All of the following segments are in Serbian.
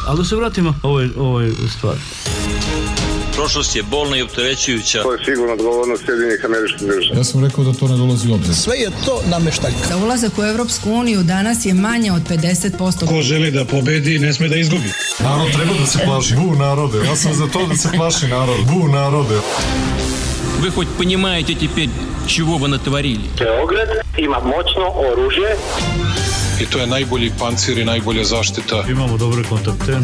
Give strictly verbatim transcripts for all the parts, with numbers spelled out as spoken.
Ali da se vratimo ovoj, ovoj stvari. Prošlost je bolna i opterećujuća. To je sigurno odgovornost Sjedinjenih Američkih Država. Ja sam rekao da to ne dolazi u obzir. Sve je to nameštaljka. Da ulazak u Evropsku uniju danas je manje od pedeset posto. Ko želi da pobedi, ne sme da izgubi. Narod treba da se plaši. Bu narode. Ja sam za to da se plaši narod. Bu narode. Вы хоть понимаете теперь, чего вы натворили? Beograd ima moćno oružje. I to je najbolji pancir i najbolja zaštita. Imamo dobre kontakte.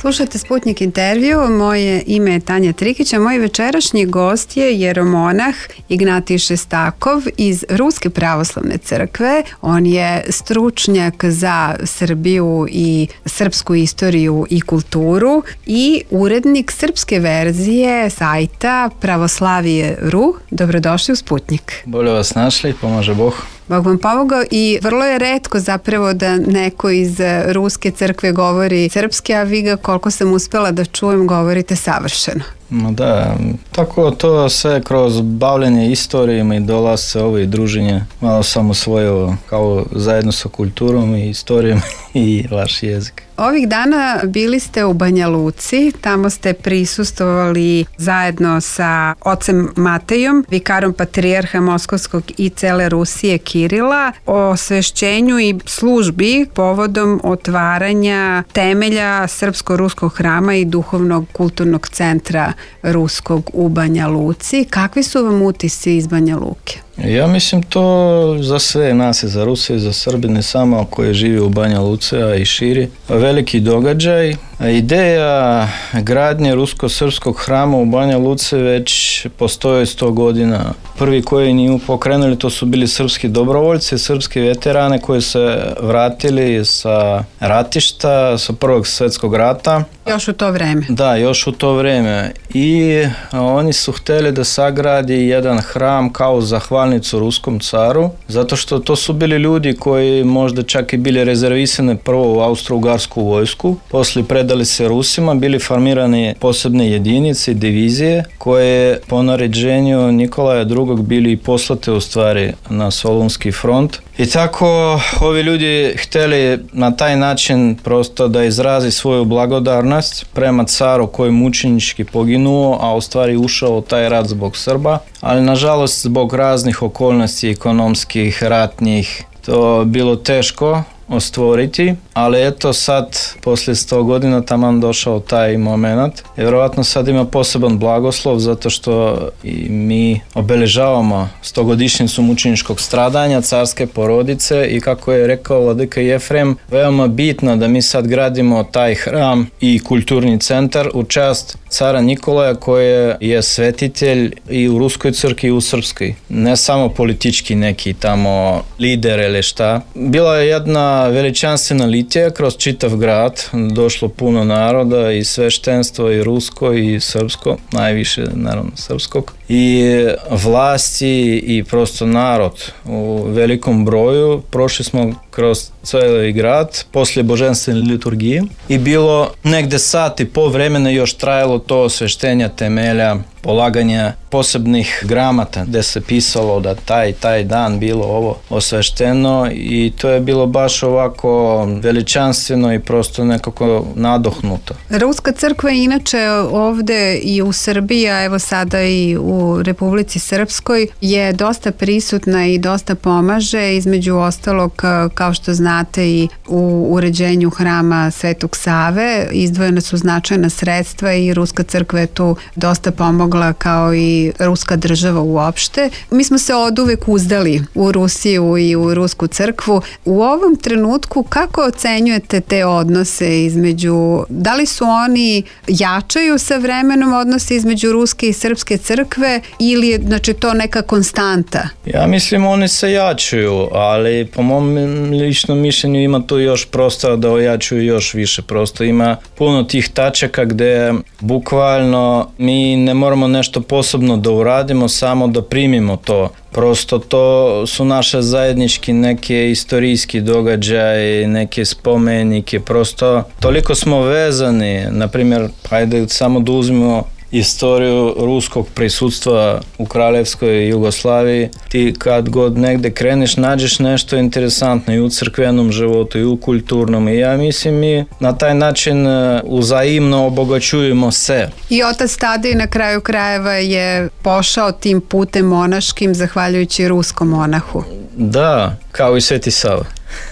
Slušajte Sputnik intervju, moje ime je Tanja Trikić, a moj večerašnji gost je jeromonah Ignatij Šestakov iz Ruske pravoslavne crkve. On je stručnjak za Srbiju i srpsku istoriju i kulturu i urednik srpske verzije sajta Pravoslavije punkt ru. Dobrodošli u Sputnik. Bolje vas našli, pomaže Bog. Bog vam pomogao i vrlo je retko zapravo da neko iz Ruske crkve govori srpski, a vi ga, koliko sam uspela da čujem, govorite savršeno. Ma da, tako to sve kroz bavljenje istorijama i dolasce ovo i druženje malo sam usvojio kao zajedno sa kulturom i istorijom i vaš jezik. Ovih dana bili ste u Banja Luci, tamo ste prisustvovali zajedno sa ocem Matejom, vikarom patrijarha Moskovskog i cele Rusije Kirila, o osvešćenju i službi povodom otvaranja temelja Srpsko-ruskog hrama i duhovnog kulturnog centra Ruskog u Banja Luci. Kakvi su vam utisci iz Banja Luke? Ja mislim to za sve nas i za Rusije i za Srbi, ne samo koji živi u Banja Luci, a i širi. Veliki događaj. Ideja gradnje rusko-srpskog hrama u Banja Luci već postoje sto godina. Prvi koji nju pokrenuli to su bili srpski dobrovoljci, srpski veterane koji se vratili sa ratišta, sa Prvog svjetskog rata. Još u to vreme. Da, još u to vreme. I oni su htjeli da sagradi jedan hram kao zahvalnicu ruskom caru, zato što to su bili ljudi koji možda čak i bili rezervisani prvo u Austro-Ugarsku vojsku, poslije predali se Rusima, bili formirane posebne jedinice, divizije, koje po naređenju Nikolaja drugog bili poslate u stvari na Solunski front. I tako ovi ljudi htjeli na taj način prosto da izrazi svoju blagodarnost prema caru koji je mučenički poginuo, a u stvari ušao u taj rat zbog Srba, ali nažalost zbog raznih okolnosti ekonomskih, ratnih, to bilo teško ostvoriti, ali eto sad, poslije sto godina taman došao taj moment. Vjerovatno sad ima poseban blagoslov zato što i mi obeležavamo stogodišnjicu mučeničkog stradanja carske porodice i kako je rekao vladika Jefrem, veoma bitno da mi sad gradimo taj hram i kulturni centar u čast cara Nikolaja koji je svetitelj i u Ruskoj crkvi i u Srpskoj. Ne samo politički neki tamo lider ili šta. Bila je jedna veličanstvena litija kroz čitav grad, došlo puno naroda i sveštenstvo i rusko i srpsko, najviše naravno srpskog, i vlasti i prosto narod u velikom broju. Prošli smo kroz cijeli grad poslije božanstvene liturgije i bilo negde sat i pol vremena još trajalo to osveštenja temelja, polaganja posebnih gramata gdje se pisalo da taj taj dan bilo ovo osvešteno i to je bilo baš ovako veličanstveno i prosto nekako nadohnuto. Ruska crkva je inače ovde i u Srbiji, a evo sada i u Republici Srpskoj je dosta prisutna i dosta pomaže, između ostalog kao što znate i u uređenju hrama Svetog Save izdvojena su značajna sredstva i Ruska crkva je tu dosta pomogla kao i Ruska država uopšte. Mi smo se oduvek uzdali u Rusiju i u Rusku crkvu. U ovom trenutku kako ocenjujete te odnose između, da li su oni jačaju sa vremenom odnose između Ruske i Srpske crkve ili je znači to neka konstanta? Ja mislim oni se jačaju, ali po mom ličnom mišljenju ima tu još prostora da ojačuju još više. Prosto ima puno tih tačaka gde bukvalno mi ne moramo nešto posebno da uradimo, samo da primimo to. Prosto to su naše zajednički neke istorijski događaje, neke spomenike, prosto toliko smo vezani, na primjer, hajde samo da uzmemo istoriju ruskog prisutstva u Kraljevskoj Jugoslaviji, ti kad god negde kreneš nađeš nešto interesantno i u crkvenom životu i u kulturnom, i ja mislim mi na taj način uzajimno obogaćujemo se. I otac Tadej na kraju krajeva je pošao tim putem monaškim zahvaljujući ruskom monahu. Da, kao i Sveti Sava.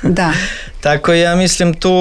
Da. Tako ja mislim tu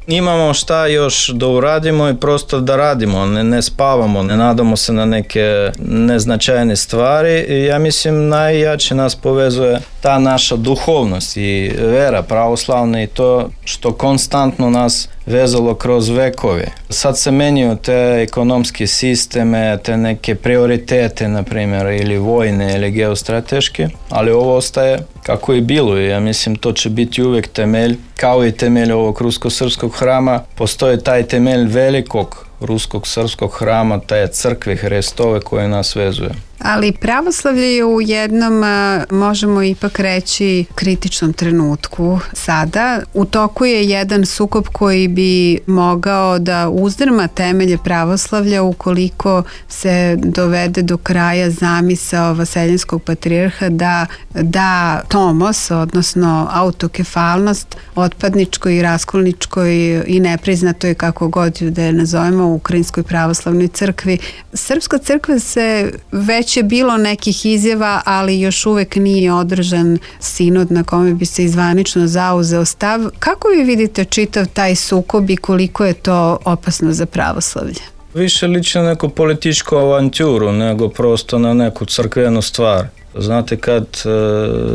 imamo šta još da uradimo i prosto da radimo, ne, ne spavamo, ne nadamo se na neke neznačajne stvari. I ja mislim najjače nas povezuje ta naša duhovnost i vera pravoslavna i to što konstantno nas vezalo kroz vekove. Sad se menjaju te ekonomske sisteme, te neke prioritete, na primjer, ili vojne ili geostrateške, ali ovo ostaje kako je bilo i ja mislim to će biti uvijek temelj, kao i temelj ovog rusko-srpskog hrama, postoji taj temelj velikog ruskog-srpskog hrama, te crkve Hristove koje nas vezuje. Ali pravoslavlje je u jednom, možemo ipak reći, kritičnom trenutku sada. U toku je jedan sukob koji bi mogao da uzdrma temelje pravoslavlja ukoliko se dovede do kraja zamisao vaseljenskog patrijarha da da tomos, odnosno autokefalnost otpadničkoj i raskolničkoj i nepriznatoj, kako god da je nazovemo, u Ukrajinskoj pravoslavnoj crkvi. Srpska crkva se već je bilo nekih izjava, ali još uvek nije održan sinod na kome bi se izvanično zauzeo stav. Kako vi vidite čitav taj sukob i koliko je to opasno za pravoslavlje? Više liči na neku političku avanturu nego prosto na neku crkvenu stvar. Znate, kad e,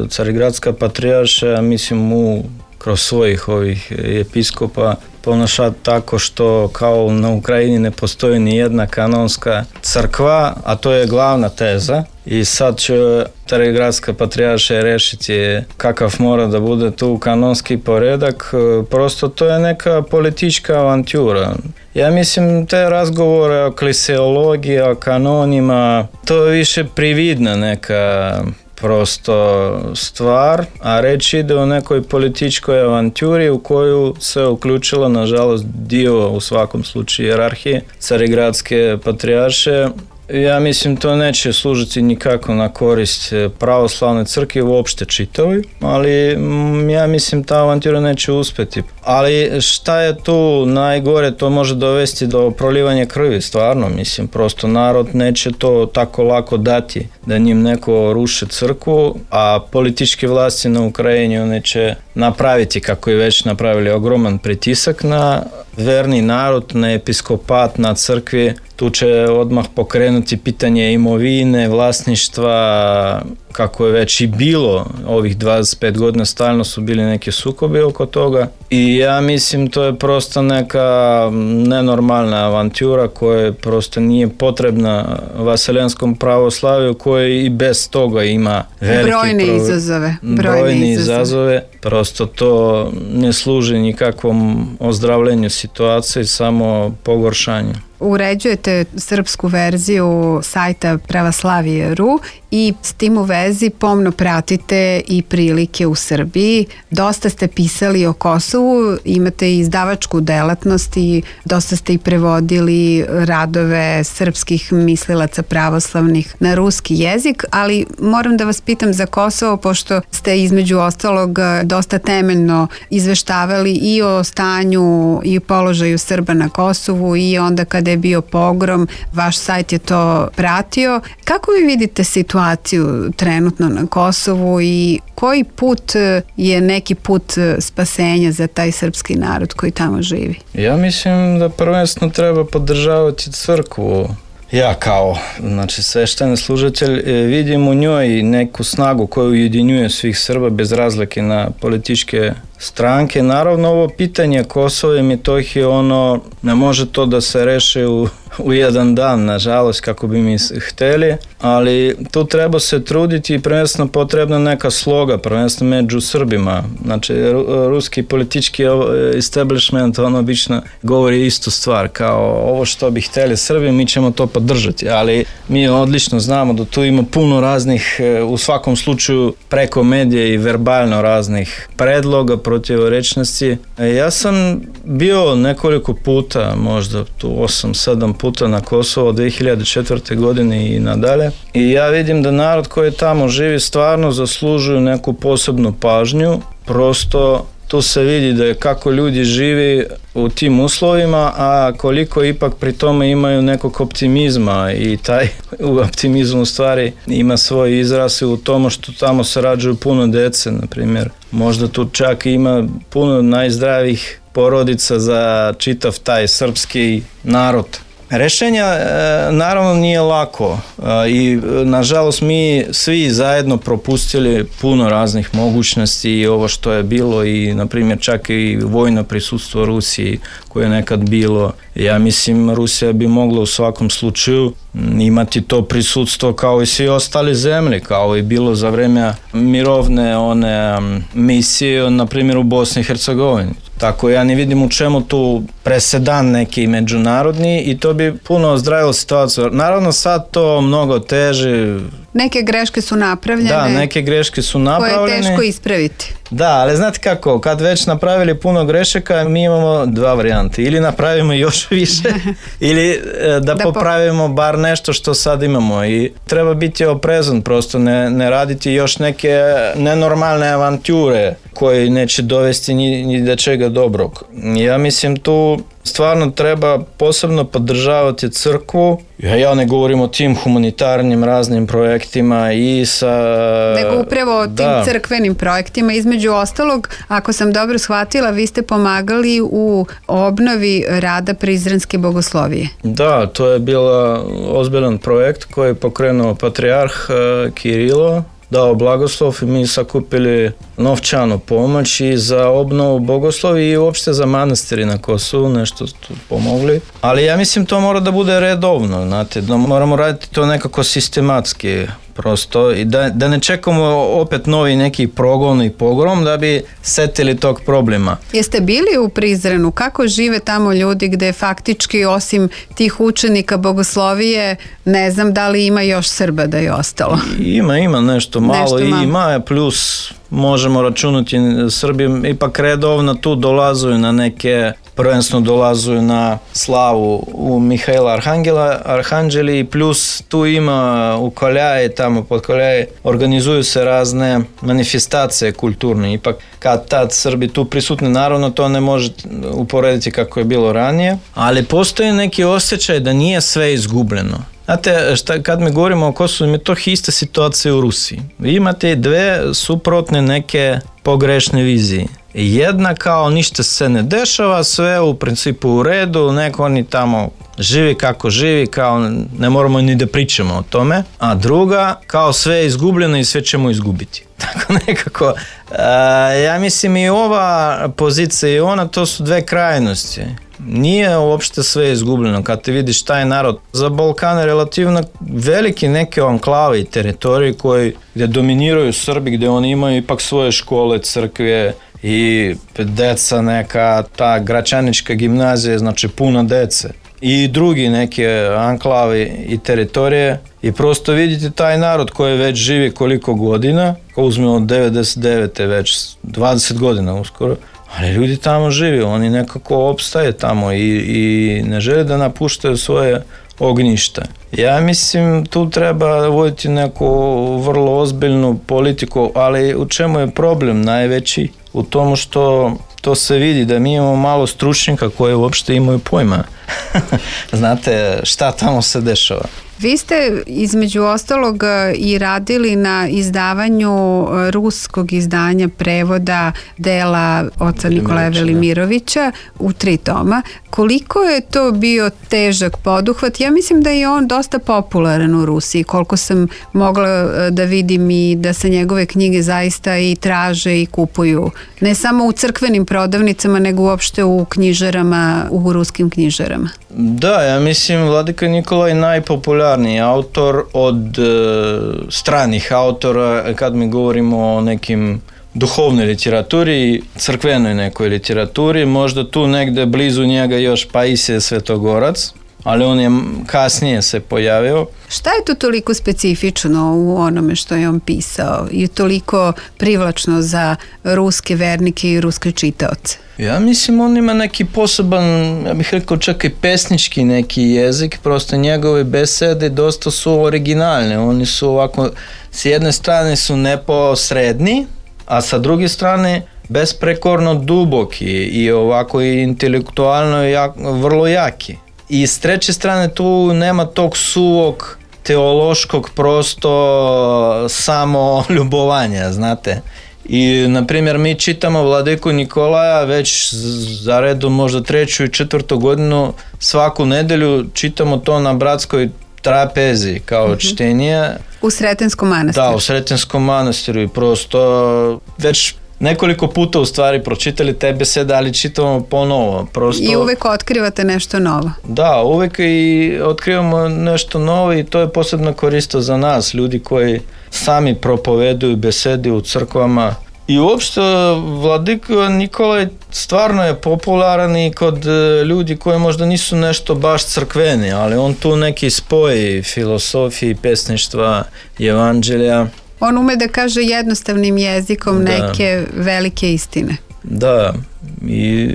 Carigradska patrijarša, mislim, u kroz svojih ovih episkopa ponaša tako što kao na Ukrajini ne postoji ni jedna kanonska crkva, a to je glavna teza. I sad će Carigradska patrijarša rešiti kakav mora da bude tu kanonski poredak. Prosto to je neka politička avantura. Ja mislim te razgovore o kliseologiji, o kanonima, to je više prividna neka prosto stvar, a reč ide o nekoj političkoj avanturi u koju se uključila, nažalost, dio u svakom slučaju hijerarhije Carigradske patrijarše. Ja mislim to neće služiti nikako na korist pravoslavne crkve uopšte čitavoj, ali ja mislim ta avantura neće uspeti. Ali šta je tu najgore, to može dovesti do prolivanja krvi, stvarno, mislim, prosto narod neće to tako lako dati da njim neko ruše crkvu, a političke vlasti na Ukrajini one će napraviti, kako je već napravili, ogroman pritisak na verni narod, na episkopat, na crkvi. Tu će odmah pokrenuti pitanje imovine, vlasništva, kako je već i bilo ovih dvadeset pet godina, stalno su bili neki sukobi oko toga. I ja mislim to je prosto neka nenormalna avantura koja prosto nije potrebna vaseljenskom pravoslaviju, koje i bez toga ima velike brojne pro... izazove. Brojne, brojne izazove. izazove. Prosto to ne služi nikakvom ozdravljenju situacije, samo pogoršanju. Uređujete srpsku verziju sajta Pravoslavije tačka ru i s tim u vezi pomno pratite i prilike u Srbiji. Dosta ste pisali o Kosovu, imate i izdavačku delatnost i dosta ste i prevodili radove srpskih mislilaca pravoslavnih na ruski jezik, ali moram da vas pitam za Kosovo, pošto ste između ostalog dosta temeljno izveštavali i o stanju i položaju Srba na Kosovu i onda kada je bio pogrom, vaš sajt je to pratio. Kako vi vidite situaciju trenutno na Kosovu i koji put je neki put spasenja za taj srpski narod koji tamo živi? Ja mislim da prvenstveno treba podržavati crkvu. Ja kao, znači, svešteni služitelj vidim u njoj neku snagu koju ujedinjuje svih Srba bez razlike na političke stranke. Naravno, ovo pitanje Kosova i Metohije, ono, ne može to da se reši u, u jedan dan, nažalost, kako bi mi hteli, ali tu treba se truditi i prvenstveno potrebna neka sloga, prvenstveno među Srbima. Znači, ruski politički establishment, on obično govori istu stvar, kao ovo što bi hteli Srbi, mi ćemo to podržati, ali mi odlično znamo da tu ima puno raznih, u svakom slučaju preko medije i verbalno raznih predloga, protivorečnosti. Ja sam bio nekoliko puta, možda tu osam sedam puta na Kosovo od dvije hiljade četvrte. godine i nadalje. I ja vidim da narod koji tamo živi stvarno zaslužuju neku posebnu pažnju. Prosto tu se vidi da je kako ljudi živi u tim uslovima, a koliko ipak pri tome imaju nekog optimizma i taj optimizam u stvari ima svoj izraz u tomu što tamo se rađaju puno dece, na primjer. Možda tu čak ima puno najzdravijih porodica za čitav taj srpski narod. Rešenja naravno nije lako i nažalost mi svi zajedno propustili puno raznih mogućnosti i ovo što je bilo i na primjer čak i vojno prisustvo Rusiji koje je nekad bilo. Ja mislim Rusija bi mogla u svakom slučaju imati to prisustvo kao i svi ostali zemlje, kao i bilo za vreme mirovne one misije na primjer u Bosni i Hercegovini. Tako ja ne vidim u čemu tu presedan neki međunarodni i to bi puno ozdravilo situaciju. Naravno sad to mnogo teže. Neke greške su napravljene. Da, neke greške su napravljene. Koje je teško ispraviti. Da, ali znate kako, kad već napravili puno grešaka, mi imamo dva varijante. Ili napravimo još više, ili da, da popravimo bar nešto što sad imamo. I treba biti oprezan, prosto ne, ne raditi još neke nenormalne avanture koje neće dovesti ni, ni do čega dobrog. Ja mislim tu stvarno treba posebno podržavati crkvu. Ja ne govorim o tim humanitarnim raznim projektima i sa... Nego upravo o tim da. crkvenim projektima. Između ostalog, ako sam dobro shvatila, vi ste pomagali u obnovi rada Prizrenske bogoslovije. Da, to je bio ozbiljan projekt koji je pokrenuo patrijarh Kirilo, dao blagoslov i mi sakupili novčanu pomoć i za obnovu bogoslovi i uopšte za manastiri na Kosovu, nešto tu pomogli. Ali ja mislim to mora da bude redovno, znate, da moramo raditi to nekako sistematski prosto i da, da ne čekamo opet novi neki progon i pogrom da bi setili tog problema. Jeste bili u Prizrenu? Kako žive tamo ljudi gde faktički osim tih učenika bogoslovije ne znam da li ima još Srba da je ostalo? Ima, ima nešto malo, nešto malo. Ima plus možemo računati Srbi ipak redovno tu dolazuju na neke, prvenstveno dolazuju na slavu u Mihajla Arhangela, Arhanđeli, plus tu ima u Koljaji, tamo pod Koljaji, organizuju se razne manifestacije kulturne, ipak kad tad Srbi tu prisutni, naravno to ne može uporediti kako je bilo ranije, ali postoji neki osjećaj da nije sve izgubljeno. Znate, šta, kad mi govorimo o Kosovu, je to ista situacija u Rusiji. Vi imate dve suprotne neke pogrešne vizije. Jedna kao ništa se ne dešava, sve u principu u redu, neko oni tamo živi kako živi, kao ne moramo ni da pričamo o tome, a druga kao sve je izgubljeno i sve ćemo izgubiti. Tako nekako, a, ja mislim i ova pozicija i ona, to su dve krajnosti. Nije uopšte sve izgubljeno. Kad te vidiš taj narod, za Balkan je relativno veliki neke anklave i teritorije koji, gdje dominiraju Srbi, gdje oni imaju ipak svoje škole, crkve i deca neka, ta Gračanička gimnazija, znači puno dece. I drugi neke anklave i teritorije i prosto vidite taj narod koji već živi koliko godina, ko uzmemo od devedeset devete već dvadeset godina uskoro, ali ljudi tamo žive, oni nekako opstaje tamo i, i ne žele da napuštaju svoje ognjište. Ja mislim tu treba voditi neku vrlo ozbiljnu politiku, ali u čemu je problem najveći? U tomu što to se vidi da mi imamo malo stručnjaka koji uopšte imaju pojma. Znate šta tamo se dešava. Vi ste između ostalog i radili na izdavanju ruskog izdanja prevoda dela oca Nikolaja Velimirovića u tri toma. Koliko je to bio težak poduhvat? Ja mislim da je on dosta popularan u Rusiji, koliko sam mogla da vidim i da se njegove knjige zaista i traže i kupuju. Ne samo u crkvenim prodavnicama, nego uopšte u knjižarama, u ruskim knjižarama. Da, ja mislim Vladika Nikolaj najpopularniji autor od e, stranih autora kad mi govorimo o nekim duhovnoj literaturi, crkvenoj nekoj literaturi, možda tu negde blizu njega još Paisije Svetogorac. ali on je kasnije se pojavio. Šta je to toliko specifično u onome što je on pisao i toliko privlačno za ruske vernike i ruske čitaoce? Ja mislim on ima neki poseban, ja bih rekao čak i pesnički neki jezik, prosto njegove besede dosta su originalne, oni su ovako, s jedne strane su neposredni, a sa druge strane besprekorno duboki i ovako i intelektualno jak, vrlo jaki. I s treće strane tu nema tog suvog teološkog prosto samo ljubovanja, znate. I, na primjer, mi čitamo Vladiku Nikolaja već za redom možda treću i četvrtu godinu, svaku nedelju čitamo to na bratskoj trapezi kao mm-hmm. čtenje. U Sretenskom manastiru. Da, u Sretenskom manastiru i prosto već nekoliko puta u stvari pročitali te besede, ali čitamo ponovo. Prosto, i uvek otkrivate nešto novo. Da, uvek i otkrivamo nešto novo i to je posebno koristo za nas, ljudi koji sami propoveduju besede u crkvama. I uopšte Vladika Nikolaj stvarno je popularan i kod ljudi koji možda nisu nešto baš crkveni, ali on tu neki spoj filosofije, pesništva, evanđelja. On ume da kaže jednostavnim jezikom da. Neke velike istine. Da, i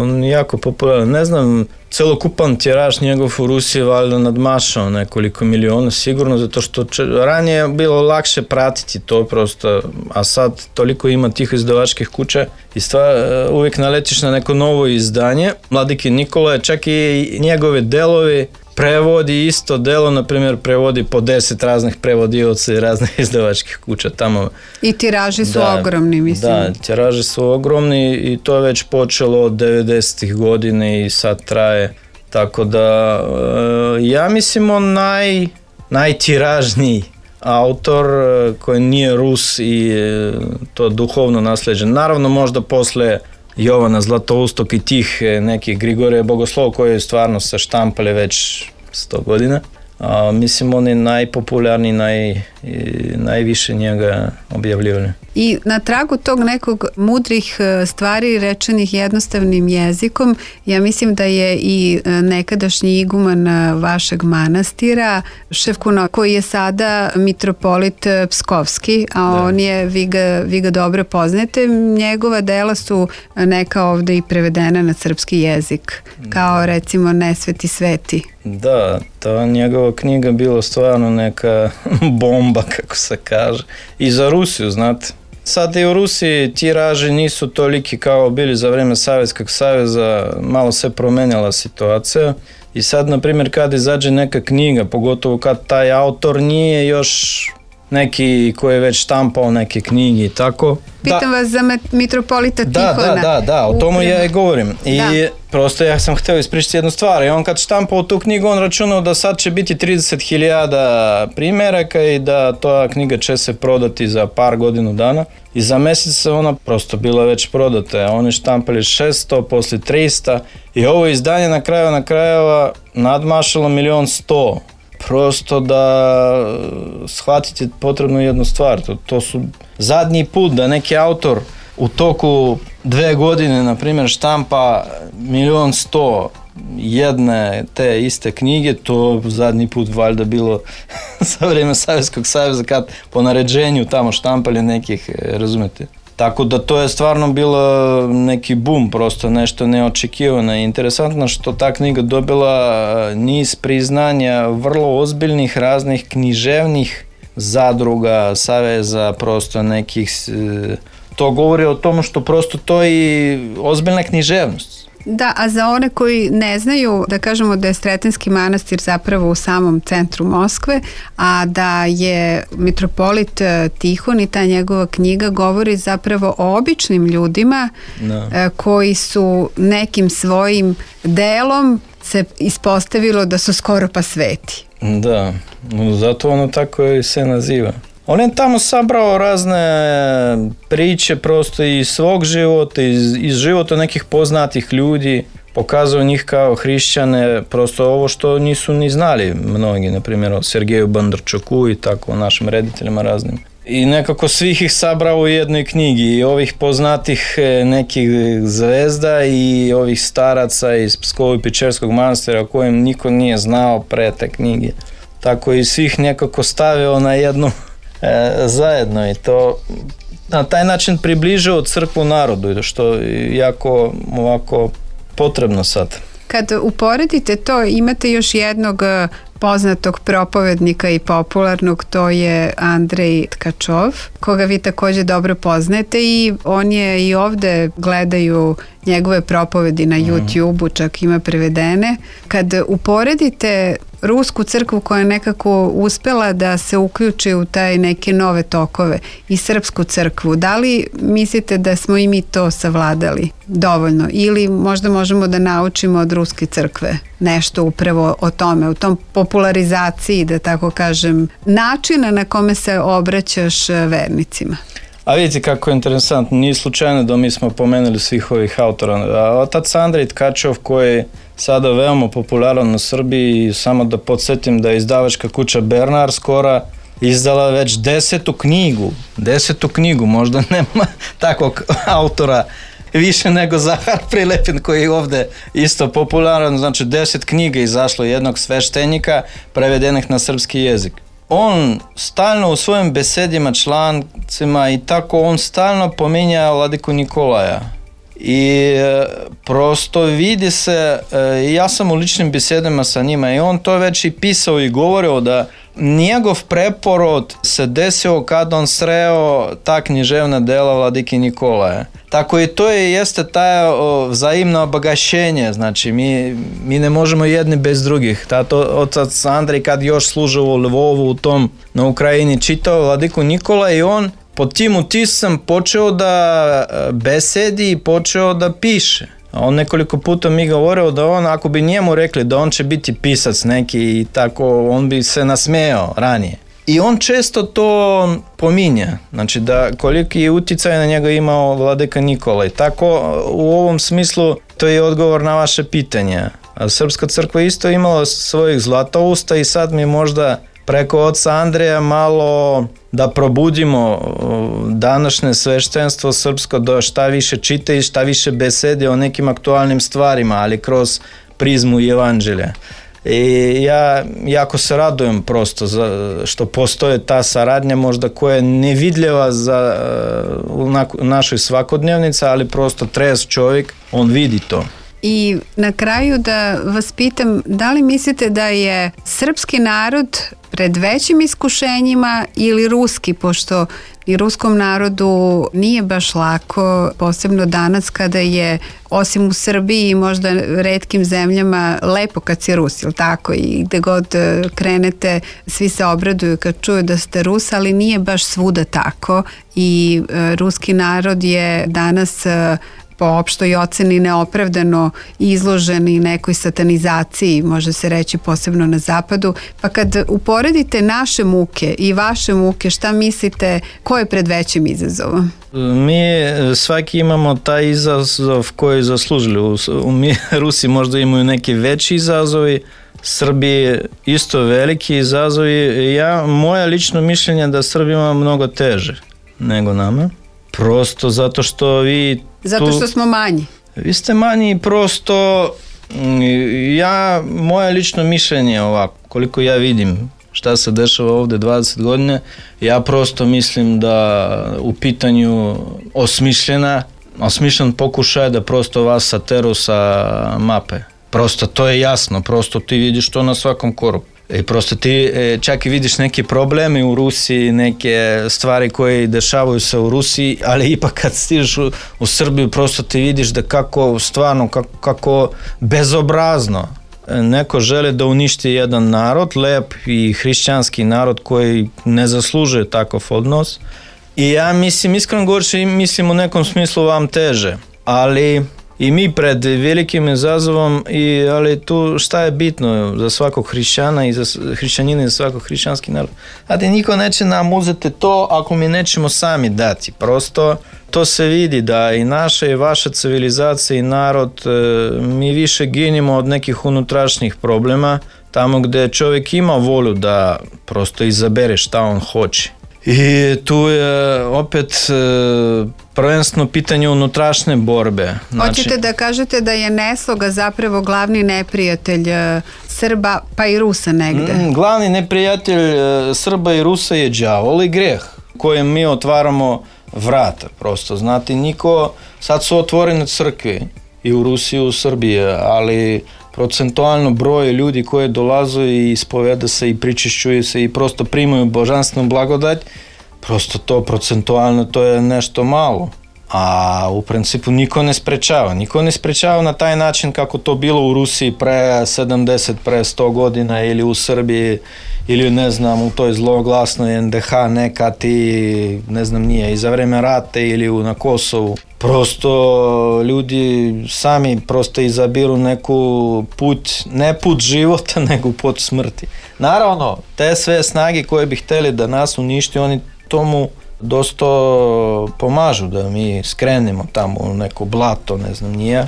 on je jako popularan. Ne znam, celokupan tiraž njegov u Rusiji valjda nadmašao nekoliko miliona sigurno, zato što če, ranije je bilo lakše pratiti to prosto, a sad toliko ima tih izdavačkih kuća i stvar, uvijek naletiš na neko novo izdanje. Vladike Nikolaja, čak i njegove delovi prevodi isto delo, na primjer prevodi po deset raznih prevodioca i raznih izdavačkih kuća tamo. I tiraži su da, ogromni, mislim. Da, tiraži su ogromni i to je već počelo od devedesetih godine i sad traje. Tako da, ja mislim on naj, najtiražniji autor koji nije Rus i to duhovno nasljeđen. Naravno možda posle Jovana Zlatoustog i tih nekih Grigorija Bogoslova koji stvarno se štampali već sto godina. A, mislim on je najpopularniji, naj, najviše njega objavljivali. I na tragu tog nekog mudrih stvari rečenih jednostavnim jezikom, ja mislim da je i nekadašnji iguman vašeg manastira, Ševkunov, koji je sada mitropolit Pskovski, a da. On je, vi ga, vi ga dobro poznate, njegova dela su neka ovde i prevedena na srpski jezik, kao recimo Nesveti sveti. Da, ta njegova knjiga bila stvarno neka bomba, kako se kaže. I za Rusiju, znate. Sad i u Rusiji tiraži nisu toliki kao bili za vreme Savjetskog saveza, malo se promenjala situacija. I sad, na primjer, kad izađe neka knjiga, pogotovo kad taj autor nije još neki koji je već štampao neke knjige i tako. Pitam da. Vas za mitropolita Tihona. Da, da, da, da, o tomu ja i govorim. I da. Prosto ja sam htio ispričati jednu stvar. I on kad štampao tu knjigu, on računao da sad će biti trideset hiljada primjeraka i da ta knjiga će se prodati za par godinu dana. I za mjesec ona prosto bila već prodata. Oni štampali šesto, poslije tristo i ovo izdanje na kraju na krajeva nadmašalo milion sto. Prosto da shvatite potrebno jednu stvar. To, to su zadnji put da neki autor u toku dve godine, na primjer, štampa milion sto jedne te iste knjige, to zadnji put valjda bilo za vrijeme Savjetskog saveza kad po naređenju tamo štampali nekih, razumete. Tako da to je stvarno bilo neki boom, prosto nešto neočekivano. Interesantno što ta knjiga dobila niz priznanja vrlo ozbiljnih raznih književnih zadruga, saveza, prosto nekih. To govori o tomu što prosto to je i ozbiljna književnost. Da, a za one koji ne znaju, da kažemo da je Sretenski manastir zapravo u samom centru Moskve, a da je mitropolit Tihon i ta njegova knjiga govori zapravo o običnim ljudima da. Koji su nekim svojim delom se ispostavilo da su skoro pa sveti. Da, zato ono tako i se naziva. On je tamo sabrao razne priče prosto iz svog života, iz, iz života nekih poznatih ljudi, pokazao njih kao hrišćane, prosto ovo što nisu ni znali mnogi, na primjer o Sergeju Bondarčuku i tako, o našim rediteljima raznim. i nekako svih ih sabrao u jednoj knjigi, i ovih poznatih nekih zvezda i ovih staraca iz Pskovo-Pičerskog manastira o kojem niko nije znao pre te knjige. Tako i svih nekako stavio na jednu e, zajedno, i to na taj način približio crkvu narodu, što je jako ovako potrebno sad. Kad uporedite to, imate još jednog poznatog propovednika i popularnog, to je Andrej Tkačov, koga vi također dobro poznajete, i on je i ovde, gledaju njegove propovedi na YouTube-u, čak ima prevedene. Kad uporedite rusku crkvu koja je nekako uspela da se uključi u taj neke nove tokove i srpsku crkvu, da li mislite da smo i mi to savladali dovoljno, ili možda možemo da naučimo od ruske crkve nešto upravo o tome, u tom popularizaciji, da tako kažem, načina na kome se obraćaš vernicima? A vidite kako je interesantno, nije slučajno da mi smo pomenuli svih ovih autora. Otac Andrej Tkačov, koji je sada veoma popularan u Srbiji, samo da podsjetim da je izdavačka kuća Bernard skoro izdala već desetu knjigu, desetu knjigu, možda nema takvog autora više nego Zahar Prilepin, koji je ovde isto popularan, znači deset knjiga izašlo jednog sveštenika prevedenih na srpski jezik. On stalno u svojim besedima, člancima i tako, on stalno pominja Vladiku Nikolaja. I e, prosto vidi se, e, ja sam u ličnim besedima sa njima, i on to već i pisao i govorio da njegov preporod se desio kad on sreo ta književna dela Vladike Nikolaja. Tako i to je, jeste taj vzajemno obagašenje, znači mi, mi ne možemo jedni bez drugih. Tato otac Andrej, kad još služao u Lvovu, u tom na Ukrajini, čitao Vladiku Nikolaja, i on pod tim utiskom počeo da besedi i počeo da piše. On nekoliko puta mi govorio da on, ako bi njemu rekli da on će biti pisac neki i tako, on bi se nasmejao ranije. I on često to pominja, znači da koliki je uticaj na njega imao Vladika Nikolaj. Tako u ovom smislu to je odgovor na vaše pitanje. A Srpska crkva isto imala svojih zlatousta, i sad mi možda preko oca Andreja malo da probudimo današnje sveštenstvo srpsko, da šta više čita i šta više besede o nekim aktualnim stvarima, ali kroz prizmu Evanđelja. I ja jako se radujem prosto za, što postoje ta saradnja možda koja je nevidljiva za, u našoj svakodnevnici, ali prosto trez čovjek, on vidi to. I na kraju da vas pitam, da li mislite da je srpski narod pred većim iskušenjima ili ruski, pošto i ruskom narodu nije baš lako, posebno danas kada je, osim u Srbiji i možda retkim zemljama, lepo kad si Rus, ili tako, i gde god krenete svi se obraduju kad čuju da ste Rus, ali nije baš svuda tako, i e, ruski narod je danas e, po opštoj oceni neopravdano izloženi nekoj satanizaciji, može se reći posebno na zapadu. Pa kad uporedite naše muke i vaše muke, šta mislite, ko je pred većim izazovom? Mi svaki imamo taj izazov koji zaslužili. Mi Rusi možda imaju neki veći izazovi, Srbi isto veliki izazovi. Ja, moje lično mišljenje da Srbi ima mnogo teže nego nama. Prosto zato što vi... Zato što smo manji. Vi ste manji i prosto, ja, moje lično mišljenje ovako, koliko ja vidim šta se dešava ovde dvadeset godine, ja prosto mislim da u pitanju osmišljena, osmišljen pokušaj da prosto vas sateru sa mape. Prosto to je jasno, prosto ti vidiš to na svakom koraku. I prosto ti čak i vidiš neke probleme u Rusiji, neke stvari koje dešavaju se u Rusiji, ali ipak kad stižeš u, u Srbiju, prosto ti vidiš da kako stvarno, kako, kako bezobrazno neko želi da uništi jedan narod, lep i hrišćanski narod koji ne zaslužuje takav odnos. I ja mislim, iskreno govoreći, mislim u nekom smislu vam teže, ali i mi pred velikim izazovom, i, ali tu šta je bitno za svakog hrišćana i za hrišćanina i za svakog hrišćanski narod. Znate, niko neće nam uzeti to ako mi nećemo sami dati. Prosto to se vidi da i naša i vaša civilizacija i narod, mi više ginimo od nekih unutrašnjih problema, tamo gde čovjek ima volju da prosto izabere šta on hoće. I tu je opet prvenstveno pitanje unutrašnje borbe. Znači, hoćete da kažete da je nesloga zapravo glavni neprijatelj Srba pa i Rusa negde? Glavni neprijatelj Srba i Rusa je đavol i greh kojem mi otvaramo vrata. Prosto, znate, niko, sad su otvorene crkve i u Rusiji i u Srbiji, ali procentualno broj ljudi koji dolaze i ispoveda se i pričišćuju se i prosto primaju božanstvenu blagodat, prosto to procentualno to je nešto malo. A u principu niko ne sprečava. Niko ne sprečava na taj način kako to bilo u Rusiji pre sedamdeset, pre sto godina ili u Srbiji ili ne znam u toj zloglasnoj en de ha nekad i ne znam nije i za vreme rata ili na Kosovu. Prosto ljudi sami prosto izabiru neku put, ne put života nego put smrti. Naravno, te sve snage koje bi hteli da nas uništi, oni tomu dosta pomažu da mi skrenemo tamo u neko blato, ne znam nije,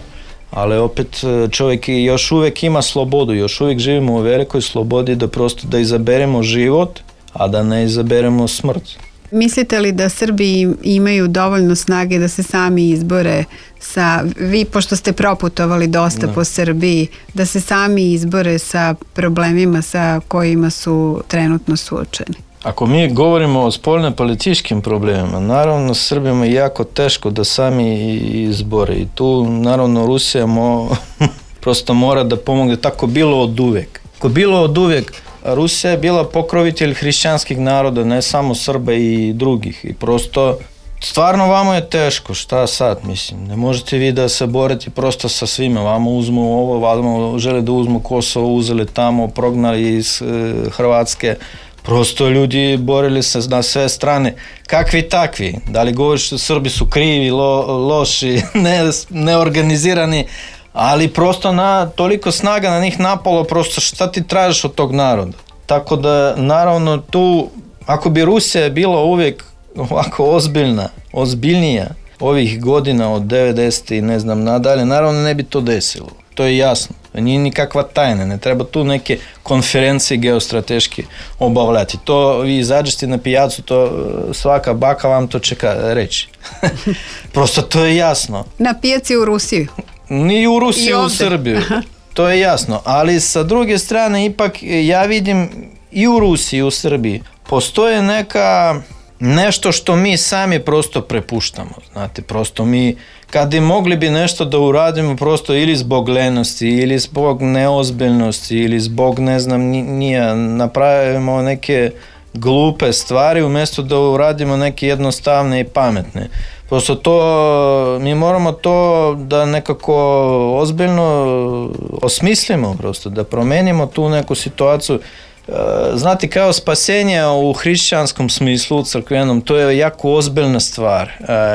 ali opet čovjek još uvijek ima slobodu, još uvijek živimo u velikoj slobodi da prosto da izaberemo život, a da ne izaberemo smrt. Mislite li da Srbi imaju dovoljno snage da se sami izbore sa, vi pošto ste proputovali dosta ne. po Srbiji, da se sami izbore sa problemima sa kojima su trenutno suočeni? Ako mi govorimo o spoljno-političkim problemima, naravno Srbima je jako teško da sami izbore i tu naravno Rusija mo, prosto mora da pomogne, tako bilo od uvek. Ako bilo od uvek, Rusija je bila pokrovitelj hrišćanskih naroda, ne samo Srba i drugih i prosto stvarno vamo je teško, šta sad, mislim, ne možete vi da se borite prosto sa svima, vamo uzmu ovo, vamo žele da uzmu Kosovo, uzeli tamo, prognali iz e, Hrvatske. Prosto ljudi borili se na sve strane, kakvi takvi, da li govoriš da Srbi su krivi, lo, loši, ne, neorganizirani, ali prosto na toliko snaga na njih napalo, prosto šta ti tražiš od tog naroda. Tako da naravno tu, ako bi Rusija bila uvijek ovako ozbiljna, ozbiljnija ovih godina od devedeset i ne znam nadalje, naravno ne bi to desilo. To je jasno. Nije nikakva tajna, ne treba tu neke konferencije geostrateške obavljati. To vi izađete na pijacu, to svaka baka vam to čeka reći. Prosto to je jasno. Na pijaci u Rusiji? Ni u Rusiji, u Srbiju. To je jasno. Ali sa druge strane, ipak ja vidim i u Rusiji i u Srbiji postoje neka nešto što mi sami prosto prepuštamo. Znate, prosto mi kad i mogli bi nešto da uradimo prosto ili zbog lenosti, ili zbog neozbiljnosti, ili zbog ne znam nije, napravimo neke glupe stvari umjesto da uradimo neke jednostavne i pametne. Prosto to, mi moramo to da nekako ozbiljno osmislimo prosto, da promenimo tu neku situaciju. Znate, kao spasenje u hrišćanskom smislu, u crkvenom, to je jako ozbiljna stvar.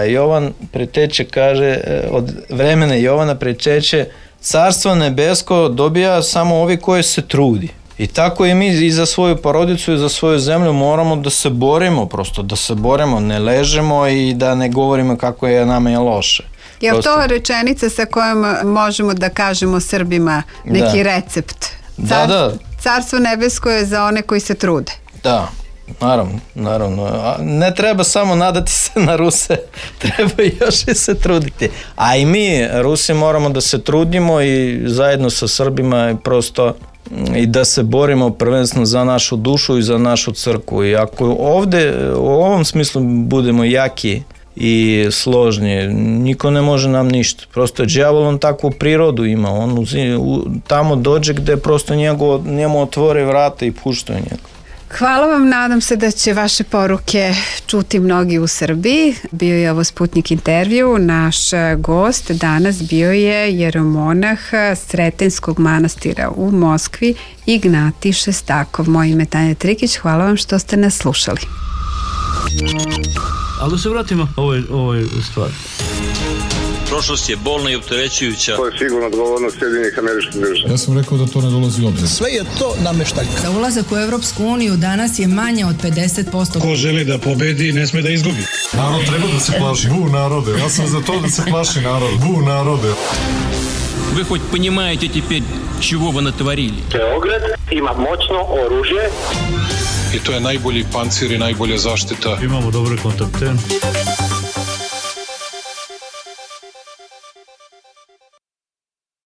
Jovan Preteče kaže, od vremena Jovana Preteče, carstvo nebesko dobija samo ovi koji se trudi. I tako i mi i za svoju porodicu i za svoju zemlju moramo da se borimo, prosto da se borimo, ne ležemo i da ne govorimo kako je nama je loše. Je li to rečenica sa kojom možemo da kažemo Srbima neki da. recept? Car, da, da. Carstvo nebesko je za one koji se trude. Da, naravno, naravno. Ne treba samo nadati se na Ruse, treba još i se truditi. A i mi, Rusi, moramo da se trudimo i zajedno sa Srbima i prosto i da se borimo prvenstveno za našu dušu i za našu crkvu. I ako ovde u ovom smislu budemo jaki i složni, niko ne može nam ništa. Prosto đavol on takvu prirodu ima, on uzi, u, tamo dođe gde prosto njego, njemu otvore vrata i puštaju njega. Hvala vam, nadam se da će vaše poruke čuti mnogi u Srbiji. Bio je ovo Sputnik intervju, naš gost danas bio je jeromonah Sretenskog manastira u Moskvi, Ignatij Šestakov. Moje ime je Tanja Trikić, hvala vam što ste nas slušali. Ali da se vratimo ovoj, ovoj stvari. Prošlost je bolna i opterećujuća. To je sigurno odgovornost Sjedinjenih Američkih Država. Ja sam rekao da to ne dolazi u obzir. Sve je to nameštaljka. Za ulazak u Evropsku uniju danas je manje od pedeset posto. Ko želi da pobedi, ne sme da izgubi. Narod treba da se plaši. Bu narode. Ja sam za to da se plaši narod. Bu narode. Вы хоть понимаете теперь, чего вы натворили? Beograd ima moćno oružje. I to je najbolji pancir i najbolja zaštita. Imamo dobre kontakte.